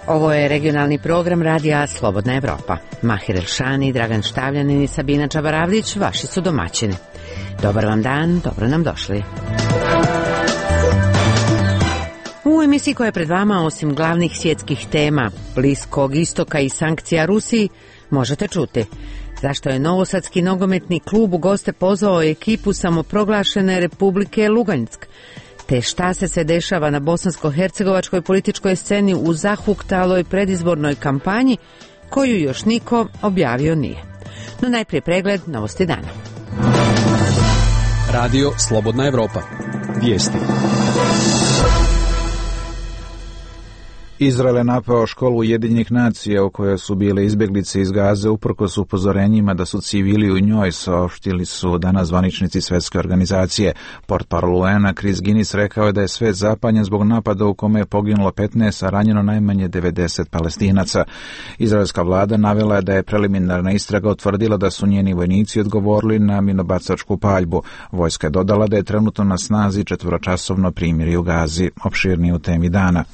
Ovo je regionalni program radija Slobodna Evropa. Mahir Elšani, Dragan Štavljanin i Sabina Čabaravdić vaši su domaćini. Dobar vam dan, dobro nam došli. U emisiji koja je pred vama, osim glavnih svjetskih tema, Bliskog istoka i sankcija Rusiji, možete čuti zašto je Novosadski nogometni klub u goste pozvao ekipu samoproglašene Republike Lugansk, te šta se sve dešava na bosansko-hercegovačkoj političkoj sceni u zahuktaloj predizbornoj kampanji koju još niko objavio nije. No najprije pregled novosti dana. Radio Slobodna Evropa. Vijesti. Izrael je napao školu Ujedinjenih nacija u kojoj su bile izbjeglice iz Gaze uprkos upozorenjima da su civili u njoj, saopštili su danas zvaničnici Svjetske organizacije. Portparol UN-a Chris Guinness rekao je da je svijet zapanjen zbog napada u kome je poginulo 15, a ranjeno najmanje 90 Palestinaca. Izraelska vlada navela je da je preliminarna istraga utvrdila da su njeni vojnici odgovorili na minobacačku paljbu. Vojska je dodala da je trenutno na snazi 4-časovno primirje u Gazi. Opširnije u temi dana.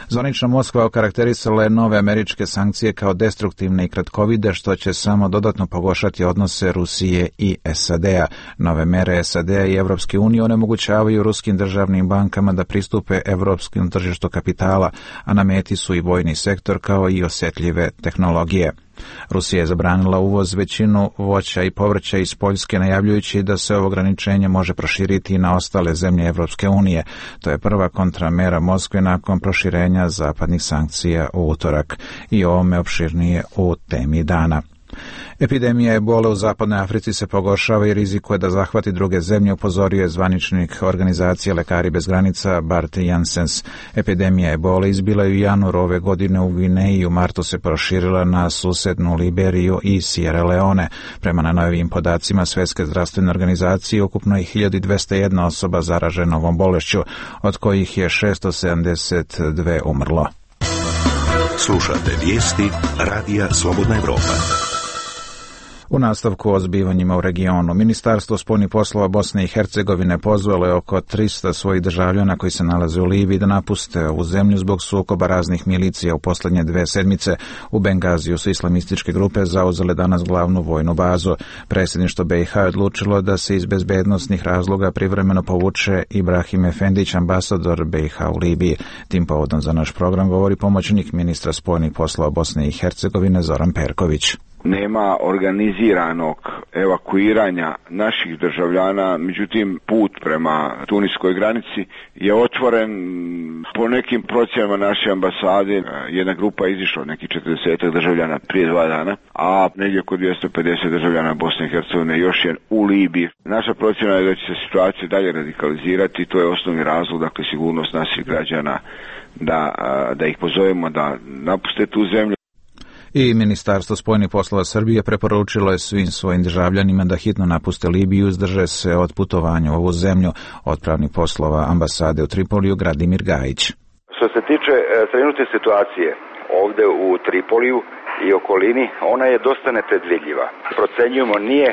Zvanična Moskva okarakterisala je nove američke sankcije kao destruktivne i kratkovide, što će samo dodatno pogoršati odnose Rusije i SAD-a. Nove mere SAD-a i Evropske unije onemogućavaju ruskim državnim bankama da pristupe evropskom tržištu kapitala, a na meti su i vojni sektor kao i osjetljive tehnologije. Rusija je zabranila uvoz većinu voća i povrća iz Poljske, najavljujući da se ovo ograničenje može proširiti i na ostale zemlje Evropske unije. To je prva kontramera Moskve nakon proširenja zapadnih sankcija u utorak. I ovome opširnije u temi dana. Epidemija ebole u zapadnoj Africi se pogoršava i rizikuje da zahvati druge zemlje, upozorio je zvaničnik organizacije Lekari bez granica Bart Janssens. Epidemija ebole izbila je u januaru ove godine u Gvineji, u martu se proširila na susednu Liberiju i Sierra Leone. Prema najnovijim podacima Svjetske zdravstvene organizacije, ukupno je 1201 osoba zaražena ovom bolešću, od kojih je 672 umrlo. Slušate vijesti Radija Slobodna Evropa. U nastavku o zbivanjima u regionu, Ministarstvo spoljnih poslova Bosne i Hercegovine pozvalo je oko 300 svojih državljana koji se nalaze u Libiji da napuste ovu zemlju zbog sukoba raznih milicija u posljednje 2 sedmice. U Bengaziju su islamističke grupe zauzele danas glavnu vojnu bazu. Predsjedništvo BiH je odlučilo da se iz bezbednosnih razloga privremeno povuče Ibrahim Efendić, ambasador BiH u Libiji. Tim povodom za naš program govori pomoćnik ministra spoljnih poslova Bosne i Hercegovine Zoran Perković. Nema organiziranog evakuiranja naših državljana, međutim put prema tuniskoj granici je otvoren. Po nekim procjenama naše ambasade jedna grupa je izišla, neki 40 državljana prije 2 dana, a negdje oko 250 državljana Bosne i Hercegovine još je u Libiji. Naša procjena je da će se situacija dalje radikalizirati, to je osnovni razlog, dakle sigurnost naših građana, da ih pozovemo da napuste tu zemlju. I Ministarstvo spoljnih poslova Srbije preporučilo je svim svojim državljanima da hitno napuste Libiju i uzdrže se od putovanja u ovu zemlju. Odpravnik poslova ambasade u Tripoliju Gradimir Gajić. Što se tiče trenutne situacije ovdje u Tripoliju i okolini, ona je dosta nepredvidljiva. Procenjujemo, nije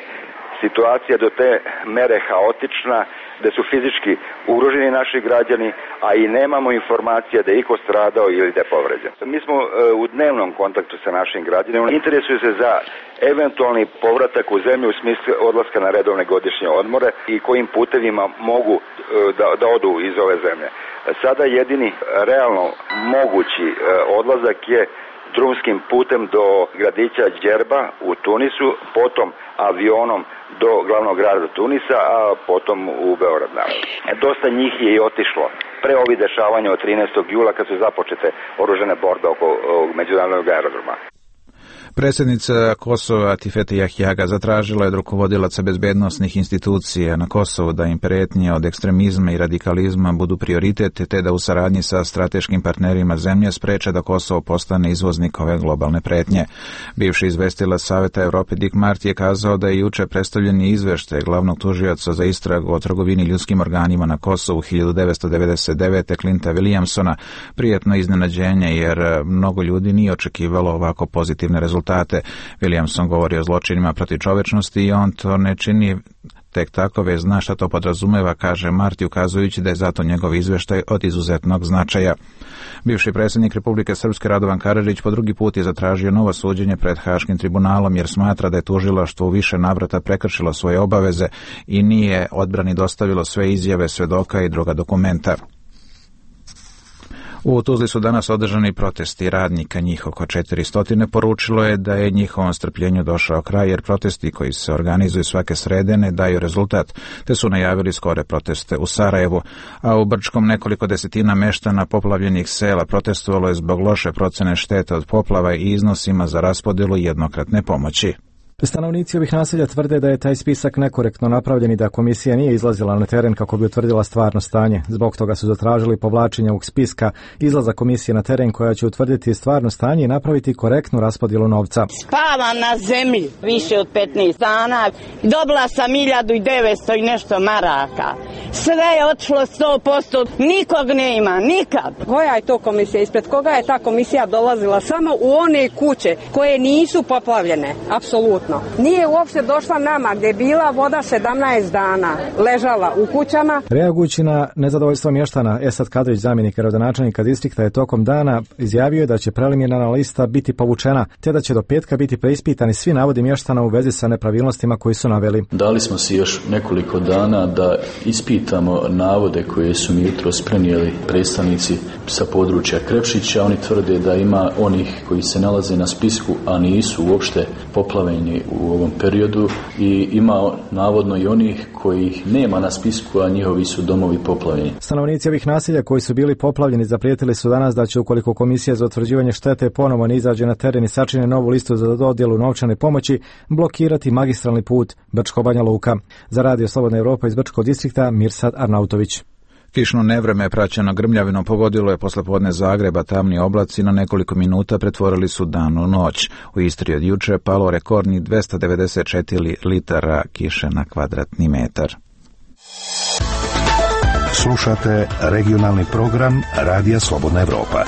situacija do te mere haotična da su fizički ugroženi naši građani, a i nemamo informacija da je iko stradao ili da je povređen. Mi smo u dnevnom kontaktu sa našim građanima, interesuju se za eventualni povratak u zemlju u smislu odlaska na redovne godišnje odmore i kojim putevima mogu da odu iz ove zemlje. Sada jedini realno mogući odlazak je drumskim putem do gradića Djerba u Tunisu, potom avionom do glavnog grada Tunisa, a potom u Beograd. Dosta njih je i otišlo pre ovih dešavanja od 13. jula kad su započete oružane borbe oko međunarodnog aerodroma. Predsjednica Kosova Tifete Jahjaga zatražila je od rukovodilaca bezbednosnih institucija na Kosovu da im prijetnje od ekstremizma i radikalizma budu prioritet, te da u saradnji sa strateškim partnerima zemlje spreče da Kosovo postane izvoznik ove globalne prijetnje. Bivši izvestilac Saveta Evrope Dick Marty je kazao da je juče predstavljen izveštaj glavnog tužioca za istragu o trgovini ljudskim organima na Kosovu 1999. Clinta Williamsona prijetno iznenađenje, jer mnogo ljudi nije očekivalo ovako pozitivne rezultate. Williamson govori o zločinima protiv čovečnosti i on to ne čini tek takove zna šta to podrazumeva, kaže Marti, ukazujući da je zato njegov izveštaj od izuzetnog značaja. Bivši predsjednik Republike Srpske Radovan Karadžić po drugi put je zatražio novo suđenje pred Haškim tribunalom jer smatra da je tužilaštvo u više navrata prekršilo svoje obaveze i nije odbrani dostavilo sve izjave svedoka i druga dokumenta. U Tuzli su danas održani protesti radnika, njih oko 400 poručilo je da je njihovom strpljenju došao kraj jer protesti koji se organizuju svake srede ne daju rezultat, te su najavili skore proteste u Sarajevu, a u Brčkom nekoliko desetina meštana poplavljenih sela protestovalo je zbog loše procene štete od poplava i iznosima za raspodjelu jednokratne pomoći. Stanovnici ovih naselja tvrde da je taj spisak nekorektno napravljen i da komisija nije izlazila na teren kako bi utvrdila stvarno stanje. Zbog toga su zatražili povlačenje ovog spiska, izlaza komisije na teren koja će utvrditi stvarno stanje i napraviti korektnu raspodjelu novca. Spava na zemlji više od 15 dana. Dobila sam 1900 i nešto maraka. Sve je otišlo 100%. Nikog ne ima, nikad. Koja je to komisija? Ispred koga je ta komisija dolazila? Samo u one kuće koje nisu poplavljene. Apsolutno. Nije uopšte došla nama gdje je bila voda 17 dana, ležala u kućama. Reagujući na nezadovoljstvo mještana, Esad Kadrić, zamjenik gradonačelnika distrikta, je tokom dana izjavio da će preliminarna lista biti povučena, te da će do petka biti preispitani svi navodi mještana u vezi sa nepravilnostima koji su naveli. Dali smo si još nekoliko dana da ispitamo navode koje su mi jutros prenijeli predstavnici sa područja Krepšića. Oni tvrde da ima onih koji se nalaze na spisku, a nisu uopšte poplavljeni u ovom periodu, i ima navodno i onih kojih nema na spisku, a njihovi su domovi poplavljeni. Stanovnici ovih naselja koji su bili poplavljeni zaprijetili su danas da će, ukoliko komisija za utvrđivanje štete ponovo ne izađe na teren i sačine novu listu za dodjelu novčane pomoći, blokirati magistralni put Brčko-Banja Luka. Za Radio Slobodna Evropa iz Brčkog distrikta, Mirsad Arnautović. Kišno nevreme praćeno grmljavinom pogodilo je poslepodne Zagreba, tamni oblaci na nekoliko minuta pretvorili su dan u noć. U Istri od juče palo rekordni 294 litara kiše na kvadratni metar. Slušate regionalni program Radija Slobodna Evropa.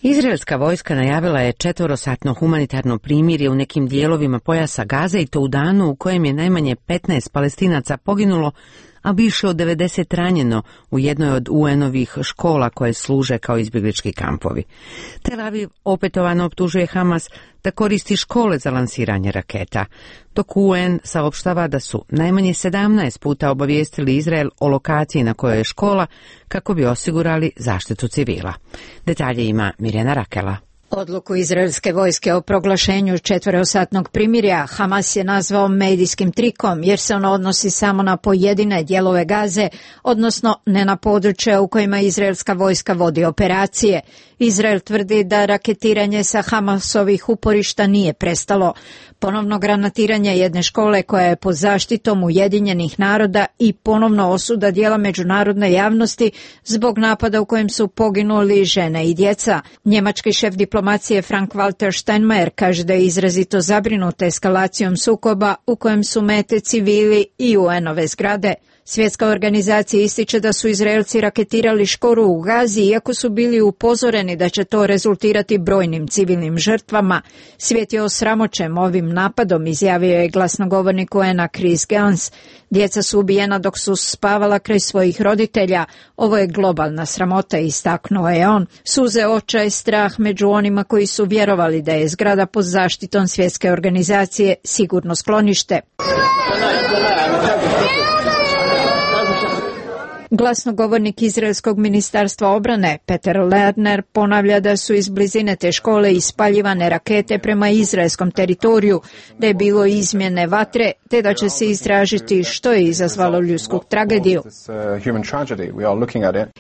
Izraelska vojska najavila je 4-satno humanitarno primirje u nekim dijelovima pojasa Gaze i to u danu u kojem je najmanje 15 Palestinaca poginulo, a više od 90 ranjeno u jednoj od UN-ovih škola koje služe kao izbjeglički kampovi. Tel Aviv opetovano optužuje Hamas da koristi škole za lansiranje raketa, dok UN saopštava da su najmanje 17 puta obavijestili Izrael o lokaciji na kojoj je škola kako bi osigurali zaštitu civila. Detalje ima Mirjana Rakela. Odluku izraelske vojske o proglašenju 4-satnog primirja Hamas je nazvao medijskim trikom jer se ono odnosi samo na pojedine dijelove Gaze, odnosno ne na područja u kojima izraelska vojska vodi operacije. Izrael tvrdi da raketiranje sa Hamasovih uporišta nije prestalo. Ponovno granatiranje jedne škole koja je pod zaštitom Ujedinjenih naroda i ponovno osuda dijela međunarodne javnosti zbog napada u kojem su poginuli žene i djeca. Njemački šef diplomacije Frank-Walter Steinmeier kaže da je izrazito zabrinut eskalacijom sukoba u kojem su mete civili i UN-ove zgrade. Svjetska organizacija ističe da su Izraelci raketirali školu u Gazi iako su bili upozoreni da će to rezultirati brojnim civilnim žrtvama. Svijet je osramoćen ovim napadom, izjavio je glasnogovornik UN-a Chris Gans. Djeca su ubijena dok su spavala kraj svojih roditelja. Ovo je globalna sramota, istaknuo je on. Suze očaj, strah među onima koji su vjerovali da je zgrada pod zaštitom Svjetske organizacije sigurno sklonište. Glasnogovornik Izraelskog ministarstva obrane Peter Lerner ponavlja da su iz blizine te škole ispaljivane rakete prema izraelskom teritoriju, da je bilo izmjene vatre, te da će se istražiti što je izazvalo ljudsku tragediju.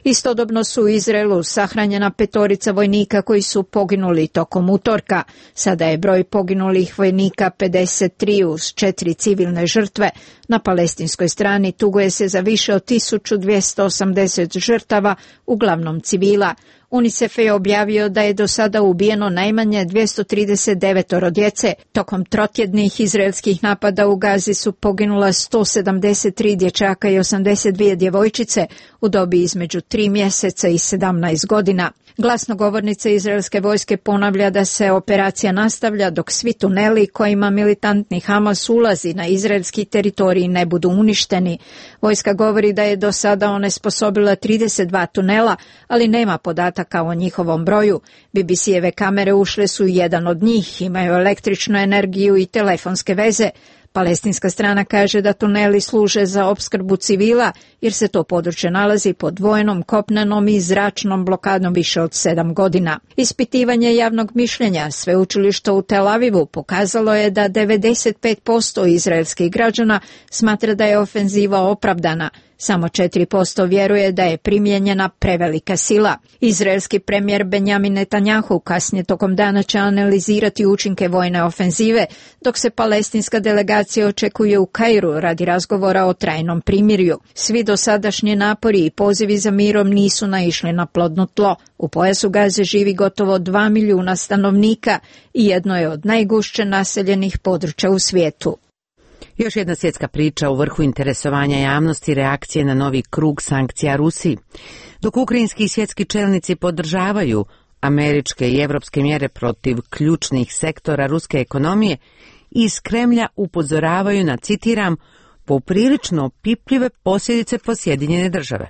Istodobno su u Izraelu sahranjena 5 vojnika koji su poginuli tokom utorka. Sada je broj poginulih vojnika 53 uz 4 civilne žrtve. Na palestinskoj strani tuguje se za više od 1280 žrtava, uglavnom civila. UNICEF je objavio da je do sada ubijeno najmanje 239 djece. Tokom trotjednih izraelskih napada u Gazi su poginula 173 dječaka i 82 djevojčice u dobi između 3 mjeseca i 17 godina. Glasnogovornica izraelske vojske ponavlja da se operacija nastavlja dok svi tuneli kojima militantni Hamas ulazi na izraelski teritorij ne budu uništeni. Vojska govori da je do sada onesposobila 32 tunela, ali nema podataka o njihovom broju. BBC-eve kamere ušle su u jedan od njih, imaju električnu energiju i telefonske veze. Palestinska strana kaže da tuneli služe za opskrbu civila jer se to područje nalazi pod vojnom, kopnenom i zračnom blokadom više od 7 godina. Ispitivanje javnog mišljenja sveučilišta u Tel Avivu pokazalo je da 95% izraelskih građana smatra da je ofenziva opravdana. Samo 4% vjeruje da je primijenjena prevelika sila. Izraelski premijer Benjamin Netanjahu kasnije tokom dana će analizirati učinke vojne ofenzive, dok se palestinska delegacija očekuje u Kairu radi razgovora o trajnom primirju. Svi dosadašnji napori i pozivi za mirom nisu naišli na plodno tlo. U pojasu Gaze živi gotovo 2 milijuna stanovnika i jedno je od najgušće naseljenih područja u svijetu. Još jedna svjetska priča u vrhu interesovanja javnosti reakcije na novi krug sankcija Rusiji. Dok ukrajinski i svjetski čelnici podržavaju američke i evropske mjere protiv ključnih sektora ruske ekonomije, iz Kremlja upozoravaju na, citiram, poprilično opipljive posljedice po Sjedinjene države.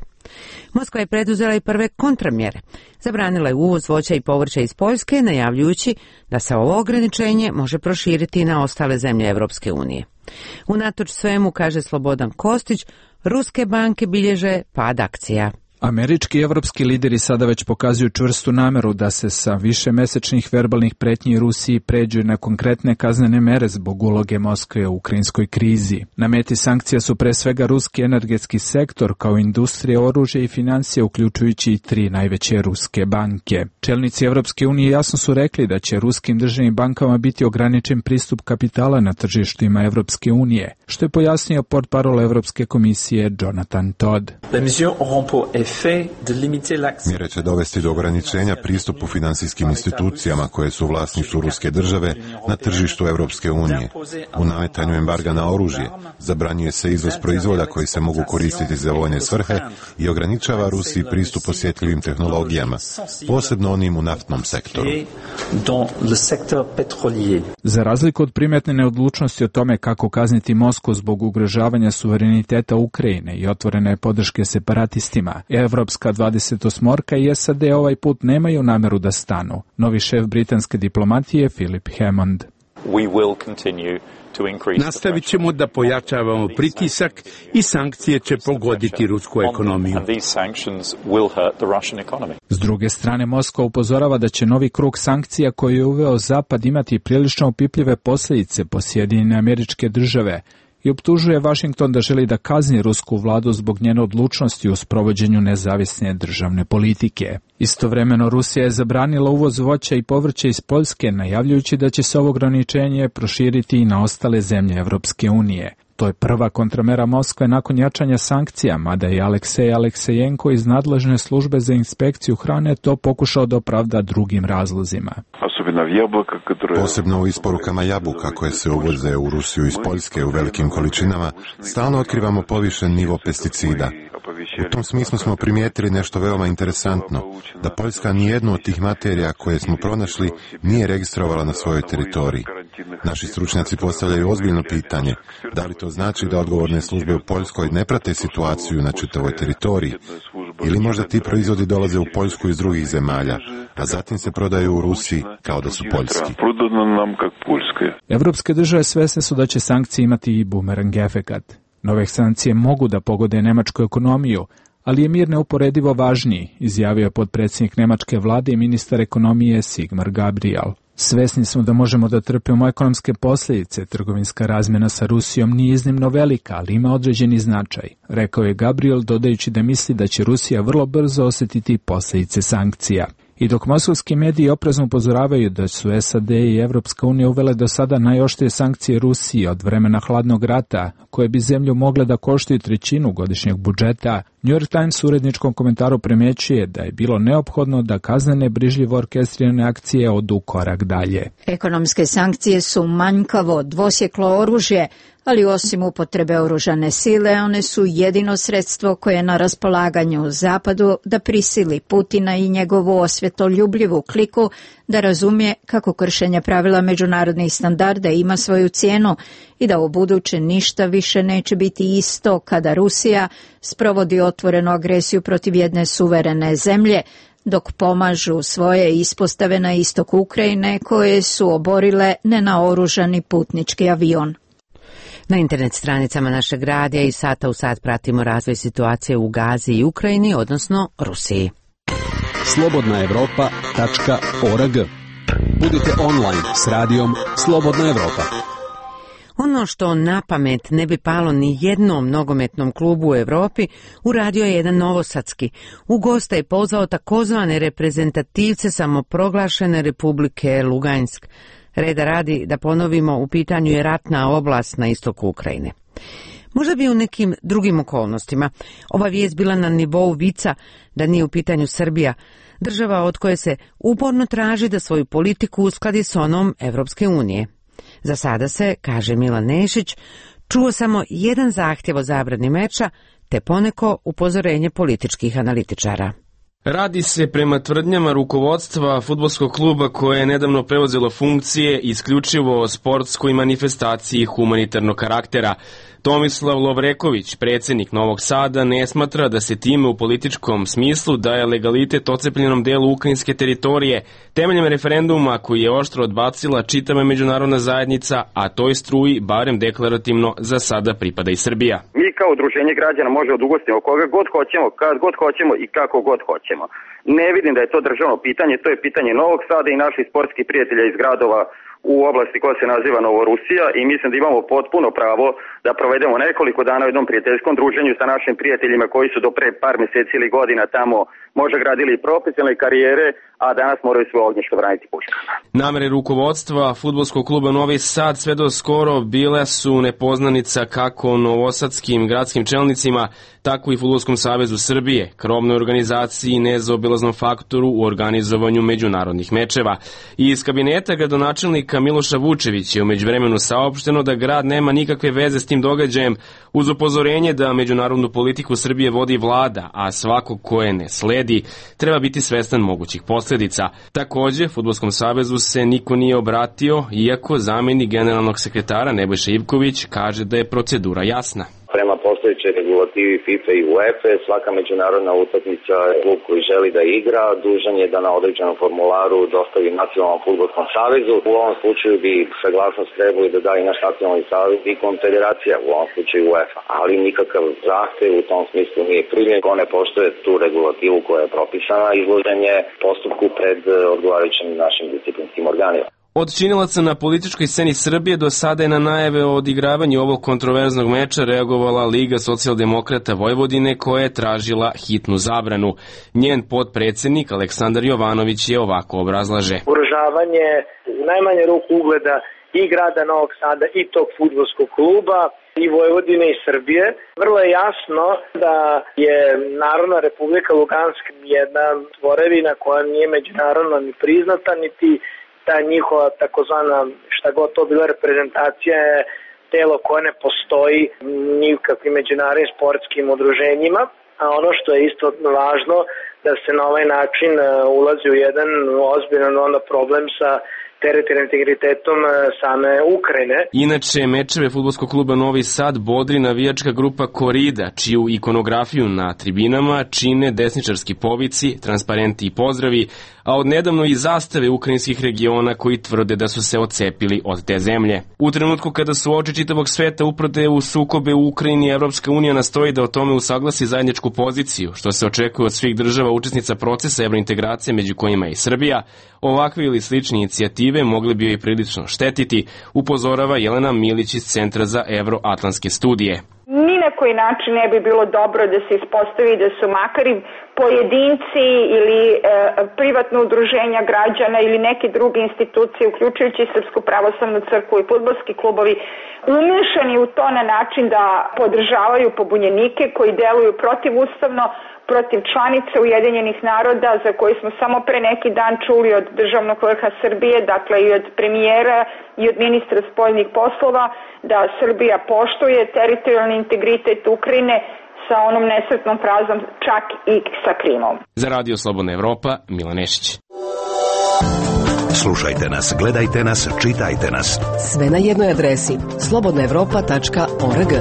Moskva je preduzela i prve kontramjere. Zabranila je uvoz voća i povrća iz Poljske, najavljujući da se ovo ograničenje može proširiti i na ostale zemlje Europske unije. Unatoč svemu, kaže Slobodan Kostić, ruske banke bilježe pad akcija. Američki i evropski lideri sada već pokazuju čvrstu nameru da se sa višemesečnih verbalnih pretnji Rusiji pređu na konkretne kaznene mere zbog uloge Moskve u ukrajinskoj krizi. Na meti sankcija su pre svega ruski energetski sektor kao industrija, oružje i financije, uključujući i 3 najveće ruske banke. Čelnici Evropske unije jasno su rekli da će ruskim državnim bankama biti ograničen pristup kapitala na tržištima Evropske unije, što je pojasnio portparol Evropske komisije Jonathan Todd. Mjere će dovesti do ograničenja pristupu financijskim institucijama koje su u vlasništvu ruske države na tržištu Europske unije. U nametanju embarga na oružje zabranjuje se izvoz proizvoda koji se mogu koristiti za vojne svrhe i ograničava Rusiji pristup osjetljivim tehnologijama, posebno onim u naftnom sektoru. Za razliku od primetne neodlučnosti o tome kako kazniti Moskvu zbog ugrožavanja suvereniteta Ukrajine i otvorene podrške separatistima, Evropska 28-orka i SAD ovaj put nemaju nameru da stanu. Novi šef britanske diplomatije Philip Hammond. Nastavit ćemo da pojačavamo pritisak i sankcije će pogoditi rusku ekonomiju. S druge strane, Moskva upozorava da će novi krug sankcija koji je uveo Zapad imati prilično opipljive posljedice po Sjedinjene Američke Države i optužuje Washington da želi da kazni rusku vladu zbog njene odlučnosti u sprovođenju nezavisne državne politike. Istovremeno, Rusija je zabranila uvoz voća i povrća iz Poljske, najavljujući da će se ovo ograničenje proširiti i na ostale zemlje Evropske unije. To je prva kontramera Moskve nakon jačanja sankcija, mada je Aleksej Aleksejenko iz nadležne službe za inspekciju hrane to pokušao da opravda drugim razlozima. Posebno u isporukama jabuka koje se uvoze u Rusiju iz Poljske u velikim količinama, stalno otkrivamo povišen nivo pesticida. U tom smislu smo primijetili nešto veoma interesantno, da Poljska nijednu od tih materija koje smo pronašli nije registrovala na svojoj teritoriji. Naši stručnjaci postavljaju ozbiljno pitanje, da li to znači da odgovorne službe u Poljskoj ne prate situaciju na čitavoj teritoriji, ili možda ti proizvodi dolaze u Poljsku iz drugih zemalja, a zatim se prodaju u Rusiji kao da su poljski. Evropske države svesne su da će sankcije imati i bumerang efekat. Nove sankcije mogu da pogode nemačku ekonomiju, ali je mir neuporedivo važniji, izjavio je potpredsjednik nemačke vlade i ministar ekonomije Sigmar Gabriel. Svesni smo da možemo da trpimo ekonomske posljedice, trgovinska razmjena sa Rusijom nije iznimno velika, ali ima određeni značaj, rekao je Gabriel, dodajući da misli da će Rusija vrlo brzo osjetiti posljedice sankcija. I dok moskovski mediji oprezno upozoravaju da su SAD i Evropska unija uvele do sada najoštrije sankcije Rusiji od vremena hladnog rata, koje bi zemlju mogle da koštaju 1/3 godišnjeg budžeta, New York Times u uredničkom komentaru primjećuje da je bilo neophodno da kaznene brižljivo orkestrirane akcije odu korak dalje. Ekonomske sankcije su manjkavo, dvosjeklo oružje, ali osim upotrebe oružane sile, one su jedino sredstvo koje je na raspolaganju Zapadu da prisili Putina i njegovu osvjetoljubljivu kliku da razumije kako kršenje pravila međunarodnih standarda ima svoju cijenu i da u buduće ništa više neće biti isto kada Rusija sprovodi otvorenu agresiju protiv jedne suverene zemlje, dok pomažu svoje ispostave na istoku Ukrajine koje su oborile nenaoružani putnički avion. Na internet stranicama našeg radija i sata u sat pratimo razvoj situacije u Gazi i Ukrajini, odnosno Rusiji. slobodnaevropa.org. Budite online s radijom Slobodna Evropa. Ono što na pamet ne bi palo ni jednom nogometnom klubu u Europi, uradio je jedan novosadski. U goste je pozvao takozvane reprezentativce samoproglašene Republike Lugansk. Reda radi, da ponovimo, u pitanju je ratna oblast na istoku Ukrajine. Možda bi u nekim drugim okolnostima ova vijest bila na nivou vica da nije u pitanju Srbija, država od koje se uporno traži da svoju politiku uskladi s onom Evropske unije. Za sada se, kaže Milan Nešić, čuo samo jedan zahtjev o zabrani meča, te poneko upozorenje političkih analitičara. Radi se prema tvrdnjama rukovodstva fudbalskog kluba koje je nedavno preuzelo funkcije isključivo o sportskoj manifestaciji humanitarnog karaktera. Tomislav Lovreković, predsjednik Novog Sada, ne smatra da se time u političkom smislu daje legalitet ocepljenom delu ukrajinske teritorije temeljem referenduma koji je oštro odbacila čitava međunarodna zajednica, a toj struji, barem deklarativno, za sada pripada i Srbija. Mi kao udruženje građana možemo da ugostimo koga god hoćemo, kad god hoćemo i kako god hoćemo. Ne vidim da je to državno pitanje, to je pitanje Novog Sada i naših sportskih prijatelja iz gradova u oblasti koja se naziva Novorusija i mislim da imamo potpuno pravo da provedemo nekoliko dana u jednom prijateljskom druženju sa našim prijateljima koji su do pre par mjeseci ili godina tamo možda gradili profesionalne karijere, a danas moraju svoje ognjište braniti puškama. Namere rukovodstva fudbalskog kluba Novi Sad sve do skoro bile su nepoznanica kako novosadskim gradskim čelnicima, tako i Fudbalskom savezu Srbije, krovnoj organizaciji i nezaobilaznom faktoru u organizovanju međunarodnih mečeva. I iz kabineta gradonačelnika Miloša Vučevića je u međuvremenu saopšteno da grad nema nikakve veze s tim događajem, uz upozorenje da međunarodnu politiku Srbije vodi vlada, a svako ko je ne sledi treba biti svestan mogućih posljedica. Također, Fudbalskom savezu se niko nije obratio, iako zamjenik generalnog sekretara Nebojša Ivković kaže da je procedura jasna. Prema postojećoj regulativi FIFA i UEFA, svaka međunarodna utakmica, klub koji želi da igra, dužan je da na određenom formularu dostavi Nacionalnom fudbalskom savezu. U ovom slučaju bi saglasnost trebali da da i naš Nacionalni savez i konfederacija, u ovom slučaju UEFA. Ali nikakav zahtev u tom smislu nije primljen. Ko ne poštuje tu regulativu koja je propisana, izložen je postupku pred odgovarajućim našim disciplinskim organima. Od činilaca na političkoj sceni Srbije do sada je na najave o odigravanju ovog kontroverznog meča reagovala Liga socijaldemokrata Vojvodine koja je tražila hitnu zabranu. Njen potpredsjednik Aleksandar Jovanović je ovako obrazlaže. Ugrožavanje u najmanje ruku ugleda i grada Novog Sada i tog fudbalskog kluba i Vojvodine i Srbije. Vrlo je jasno da je Narodna republika Lugansk jedna tvorevina koja nije međunarodno ni priznata, niti ta njihova takozvana, šta god to bila reprezentacija, je telo koje ne postoji nikakvim međunarodnim sportskim udruženjima, a ono što je isto važno da se na ovaj način ulazi u jedan ozbiljan problem sa teritorijalnim integritetom same Ukrajine. Inače, mečeve fudbalskog kluba Novi Sad bodri navijačka grupa Korida, čiju ikonografiju na tribinama čine desničarski povici, transparenti i pozdravi, a odnedavno i zastave ukrajinskih regiona koji tvrde da su se odcepili od te zemlje. U trenutku kada su oči čitavog sveta uprte u sukobe u Ukrajini, Evropska unija nastoji da o tome usaglasi zajedničku poziciju, što se očekuje od svih država učesnica procesa evrointegracije, među kojima je i Srbija. Ovakve ili slične inicijative mogli bi joj prilično štetiti, upozorava Jelena Milić iz Centra za evroatlantske studije. Mi na koji način ne bi bilo dobro da se ispostavi da su makar i pojedinci ili privatno udruženja građana ili neke druge institucije, uključujući Srpsku pravoslavnu crkvu i fudbalski klubovi, umešani u to na način da podržavaju pobunjenike koji deluju protivustavno, protiv članice Ujedinjenih naroda, za koje smo samo pre neki dan čuli od državnog vrha Srbije, dakle i od premijera i od ministra spoljnih poslova, da Srbija poštuje teritorijalni integritet Ukrajine sa onom nesretnom frazom čak i sa Krimom. Za Radio Slobodna Evropa, Milan Nešić. Slušajte nas, gledajte nas, čitajte nas. Sve na jednoj adresi slobodnaevropa.org.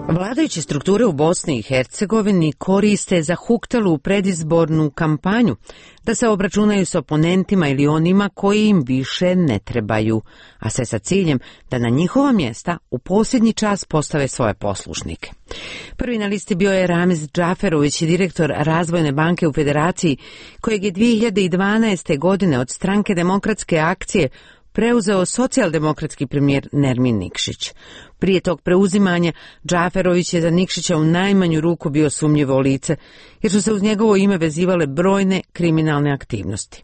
Vladajuće strukture u Bosni i Hercegovini koriste zahuktelu predizbornu kampanju da se obračunaju s oponentima ili onima koji im više ne trebaju, a sve sa ciljem da na njihova mjesta u posljednji čas postave svoje poslušnike. Prvi na listi bio je Ramiz Džaferović, direktor Razvojne banke u Federaciji, kojeg je 2012. godine od Stranke demokratske akcije preuzeo socijaldemokratski premijer Nermin Nikšić. Prije tog preuzimanja Džaferović je za Nikšića u najmanju ruku bio sumnjivo lice, jer su se uz njegovo ime vezivale brojne kriminalne aktivnosti.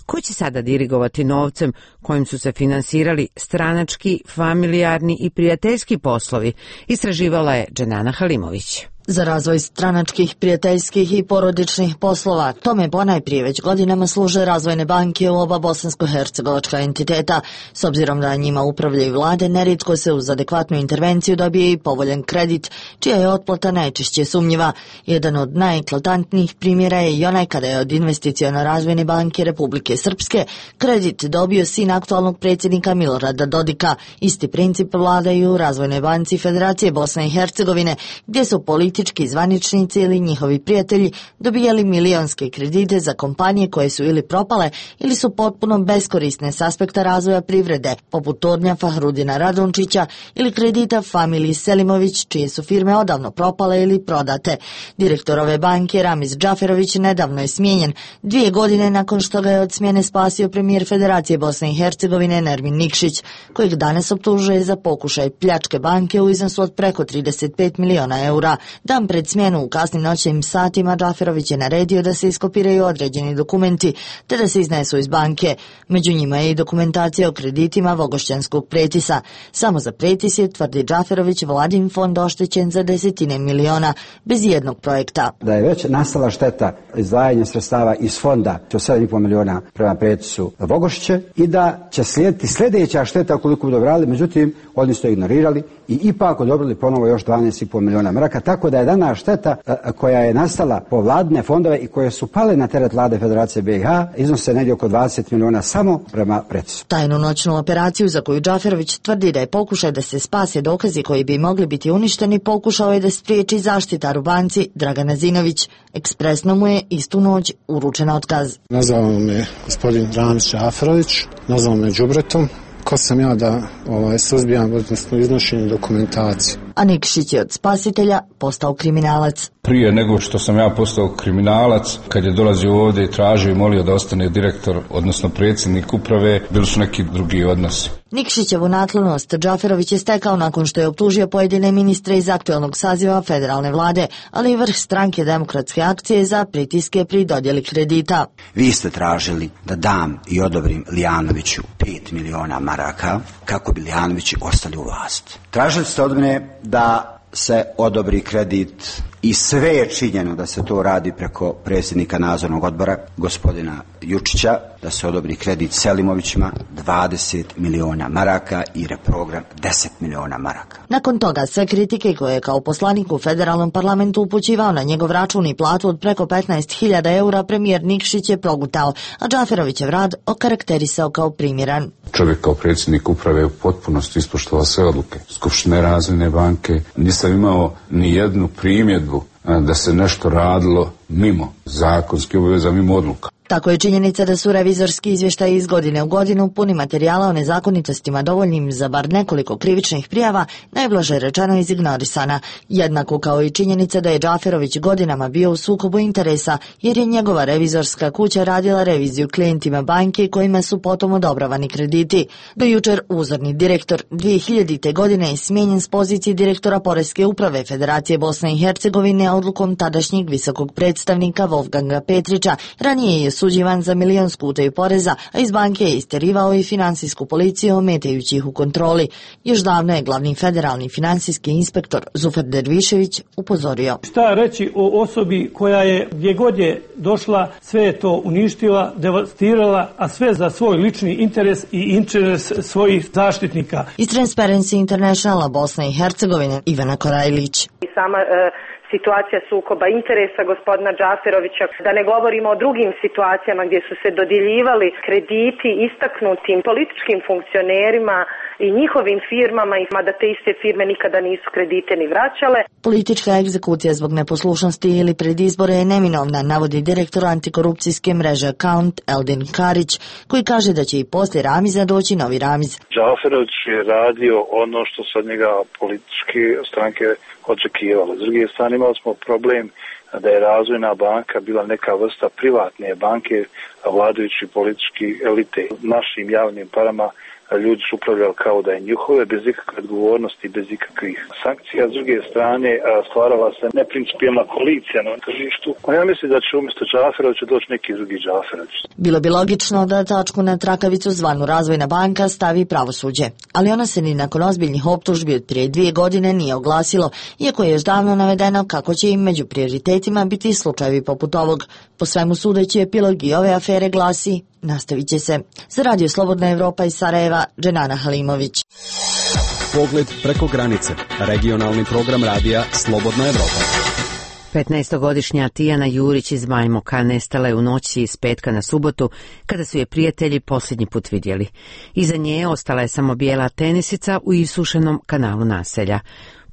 Ko će sada dirigovati novcem kojim su se finansirali stranački, familijarni i prijateljski poslovi, istraživala je Dženana Halimović. Za razvoj stranačkih, prijateljskih i porodičnih poslova tome ponajprije već godinama služe razvojne banke u oba bosansko-hercegovačka entiteta. S obzirom da njima upravljaju vlade, nerijetko se uz adekvatnu intervenciju dobije i povoljan kredit, čija je otplata najčešće sumnjiva. Jedan od najeklatantnijih primjera je i onaj kada je od Investiciono-razvojne banke Republike Srpske kredit dobio sin aktualnog predsjednika Milorada Dodika. Isti princip vladaju u Razvojnoj banci Federacije Bosne i Hercegovine, gdje su politički zvaničnici ili njihovi prijatelji dobijali milionske kredite za kompanije koje su ili propale ili su potpuno beskorisne s aspekta razvoja privrede, poput tornja Fahrudina Radončića ili kredita familiji Selimović, čije su firme odavno propale ili prodate. Direktor ove banke Ramiz Džaferović nedavno je smijenjen 2 godine nakon što ga je od smjene spasio premijer Federacije Bosne i Hercegovine Nermin Nikšić, kojeg danas optužuje za pokušaj pljačke banke u iznosu od preko 35 miliona eura. Dan pred smjenu u kasnim noćnim satima Džaferović je naredio da se iskopiraju određeni dokumenti te da se iznesu iz banke. Među njima je i dokumentacija o kreditima Vogošćanskog pretisa. Samo za pretis je, tvrdi Džaferović, vladin fond oštećen za desetine miliona, bez jednog projekta. Da je već nastala šteta izdvajanja sredstava iz fonda od 7,5 miliona prema pretisu Vogošće i da će slijediti sljedeća šteta koliko bi dobrali, međutim oni su to ignorirali i ipak odobrili ponovo još 12,5 miliona maraka, tako da je dana šteta koja je nastala po vladine fondove i koje su pale na teret vlade Federacije BiH iznose negdje oko 20 miliona samo prema pretisu. Tajnu noćnu operaciju za koju Džaferović tvrdi da je pokušaj da se spase dokazi koji bi mogli biti uništeni, pokušao je da spriječi zaštitar u banci Dragan Azinović. Ekspresno mu je istu noć uručen otkaz. Nazvao me gospodin Ramiz Džaferović, nazvao me đubretom. Ko sam ja da suzbijam, odnosno iznošenje dokumentacije. A Nikšić je od spasitelja postao kriminalac. Prije nego što sam ja postao kriminalac, kad je dolazio ovdje i tražio i molio da ostane direktor, odnosno predsjednik uprave, bili su neki drugi odnosi. Nikšićevu naklonost Džaferović je stekao nakon što je optužio pojedine ministre iz aktualnog saziva federalne vlade, ali i vrh stranke demokratske akcije za pritiske pri dodjeli kredita. Vi ste tražili da dam i odobrim Lijanoviću 5 miliona maraka kako bi Lijanovići ostali u vlasti. Tražili ste od mene da se odobri kredit i sve je činjeno da se to radi preko predsjednika nadzornog odbora gospodina Jučića, da se odobri kredit Selimovićima 20 miliona maraka i reprogram 10 miliona maraka. Nakon toga sve kritike koje je kao poslanik u federalnom parlamentu upućivao na njegov račun i platu od preko 15.000 eura premijer Nikšić je progutao, a Džaferovićev rad okarakterisao kao primjeran. Čovjek kao predsjednik uprave u potpunosti ispoštovao sve odluke Skupštine Razvojne banke. Nisam imao ni jednu primjedbu da se nešto radilo mimo zakonskih obaveza, mimo odluka. Tako je činjenica da su revizorski izvještaji iz godine u godinu puni materijala o nezakonitostima dovoljnim za bar nekoliko krivičnih prijava, najblaže rečeno izignorisana, jednako kao i činjenica da je Džaferović godinama bio u sukobu interesa, jer je njegova revizorska kuća radila reviziju klijentima banke kojima su potom odobravani krediti. Do jučer uzorni direktor 2000. godine je smijenjen s pozicije direktora Poreske uprave Federacije Bosne i Hercegovine odlukom tadašnjeg visokog predstavnika Wolfganga Petrića. Ranije je osuđivan za milionsku utaju poreza, a iz banke je isterivao i finansijsku policiju ometajući ih u kontroli. Još davno je glavni federalni finansijski inspektor Zufer Dervišević upozorio. Šta reći o osobi koja je gdje god je došla, sve je to uništila, devastirala, a sve za svoj lični interes i interes svojih zaštitnika. Iz Transparency Internationala Bosne i Hercegovine Ivana Korajlić. Sama situacija sukoba interesa gospodina Džaferovića, da ne govorimo o drugim situacijama gdje su se dodjeljivali krediti istaknutim političkim funkcionerima i njihovim firmama, mada te iste firme nikada nisu kredite ni vraćale. Politička egzekucija zbog neposlušnosti ili pred izbore je neminovna, navodi direktor antikorupcijske mreže Account Eldin Karić, koji kaže da će i poslije Ramiza doći novi Ramiz. Džaferović je radio ono što se od njega političke stranke očekivalo. S druge strane imali smo problem da je Razvojna banka bila neka vrsta privatne banke, vladajući politički elite. Našim javnim parama ljudi su upravljali kao da je njihove, bez ikakve odgovornosti, bez ikakvih sankcija. S druge strane, stvarala se neprincipijelna koalicija na tržištu. Ja mislim da će umjesto Džaferovića doći neki drugi Džaferović. Bilo bi logično da tačku na trakavicu zvanu Razvojna banka stavi pravosuđe, ali ona se ni nakon ozbiljnih optužbi od prije 2 godine nije oglasilo, iako je još davno navedeno kako će im među prioritetima biti slučajevi poput ovog. Po svemu sudeći epilog i ove afere glasi: nastavit će se. Za Radio Slobodna Evropa iz Sarajeva, Dženana Halimović. Pogled preko granice. Regionalni program radija Slobodna Evropa. 15-godišnja Tijana Jurić iz Bajmoka nestala je u noći iz petka na subotu, kada su je prijatelji posljednji put vidjeli. Iza nje ostala je samo bijela tenisica u isušenom kanalu naselja.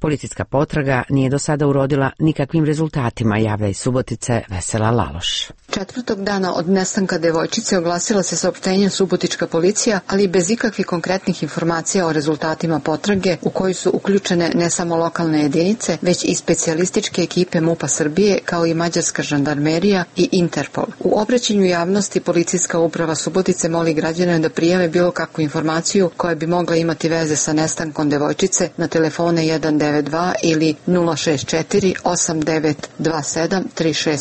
Policijska potraga nije do sada urodila nikakvim rezultatima, javlja iz Subotice Vesela Laloš. 4. dana od nestanka devojčice oglasila se saopštenjem subotička policija, ali bez ikakvih konkretnih informacija o rezultatima potrage, u koju su uključene ne samo lokalne jedinice, već i specijalističke ekipe MUP-a Srbije, kao i mađarska žandarmerija i Interpol. U obraćanju javnosti policijska uprava Subotice moli građane da prijave bilo kakvu informaciju koja bi mogla imati veze sa nestankom devojčice na telefone 192 ili 064 8927 365.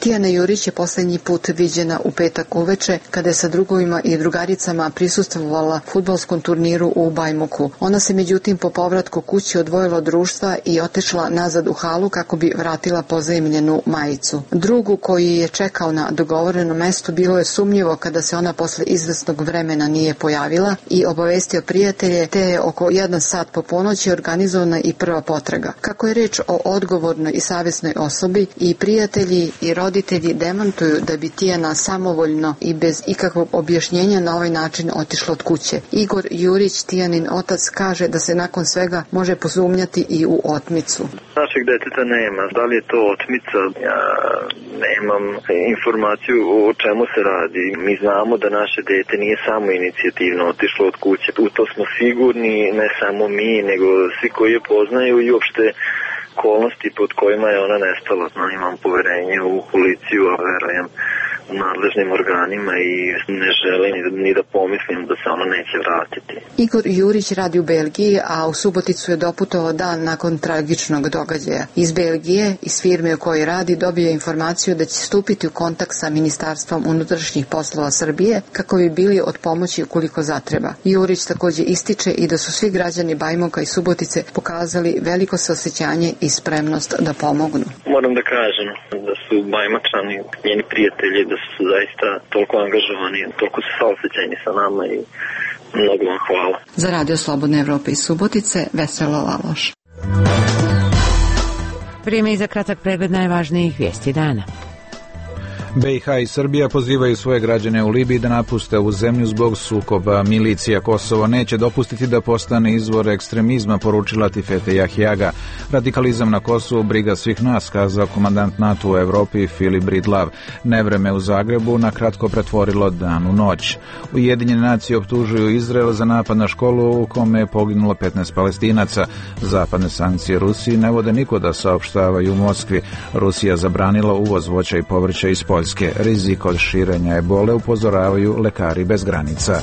Tijana Jurić je posljednji put viđena u petak uveče, kada je sa drugovima i drugaricama prisustvovala fudbalskom turniru u Bajmoku. Ona se međutim po povratku kući odvojila od društva i otišla nazad u halu kako bi vratila pozajmljenu majicu. Drugu koji je čekao na dogovorenom mestu bilo je sumnjivo kada se ona posle izvesnog vremena nije pojavila i obavestio prijatelje, te je oko 1 sat po ponoći organizovana i prva potraga. Kako je reč o odgovornoj i savjesnoj osobi, i prijatelji i roditelji demantuju da bi Tijana samovoljno i bez ikakvog objašnjenja na ovaj način otišla od kuće. Igor Jurić, Tijanin otac, kaže da se nakon svega može posumnjati i u otmicu. Našeg deteta nema. Da li je to otmica? Ja nemam informaciju o čemu se radi. Mi znamo da naše dete nije samo inicijativno otišlo od kuće. U to smo sigurni, ne samo mi, nego svi koji je poznaju i uopšte okolnosti pod kojima je ona nestala. Imam poverenje u policiju, a verujem u nadležnim organima i ne želim ni da pomislim da se ona neće vratiti. Igor Jurić radi u Belgiji, a u Suboticu je doputovao dan nakon tragičnog događaja. Iz Belgije, iz firme u kojoj radi, dobio je informaciju da će stupiti u kontakt sa Ministarstvom unutrašnjih poslova Srbije kako bi bili od pomoći ukoliko zatreba. Jurić također ističe i da su svi građani Bajmoka i Subotice pokazali veliko saosećanje i spremnost da pomognu. Moram da kažem da su Bajmačani, njeni prijatelji, da su zaista toliko angažovani, toliko su saosećajni sa nama i mnogo vam hvala. Za Radio Slobodne Evrope iz Subotice, Vesela Laloš. Vrijeme i za kratak pregled najvažnijih vijesti dana. BiH i Srbija pozivaju svoje građane u Libiji da napuste ovu zemlju zbog sukoba. Milicija Kosovo neće dopustiti da postane izvor ekstremizma, poručila Tifete Jahjaga. Radikalizam na Kosovu briga svih nas, kazao komandant NATO u Evropi Filip Bridlav. Nevreme u Zagrebu na kratko pretvorilo dan u noć. Ujedinjene nacije optužuju Izrael za napad na školu u kome je poginulo 15 Palestinaca. Zapadne sankcije Rusiji ne vode nikuda, saopštavaju u Moskvi. Rusija zabranila uvoz voća i povrća iz Poljske. Rizik od širenja ebole upozoravaju lekari bez granica.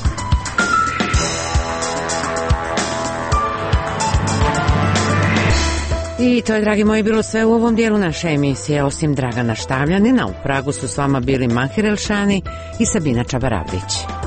I to je, dragi moji, bilo sve u ovom dijelu naše emisije. Osim Dragana Štavljanina, u Pragu su s vama bili Mahir Elšani i Sabina Čabaravlić.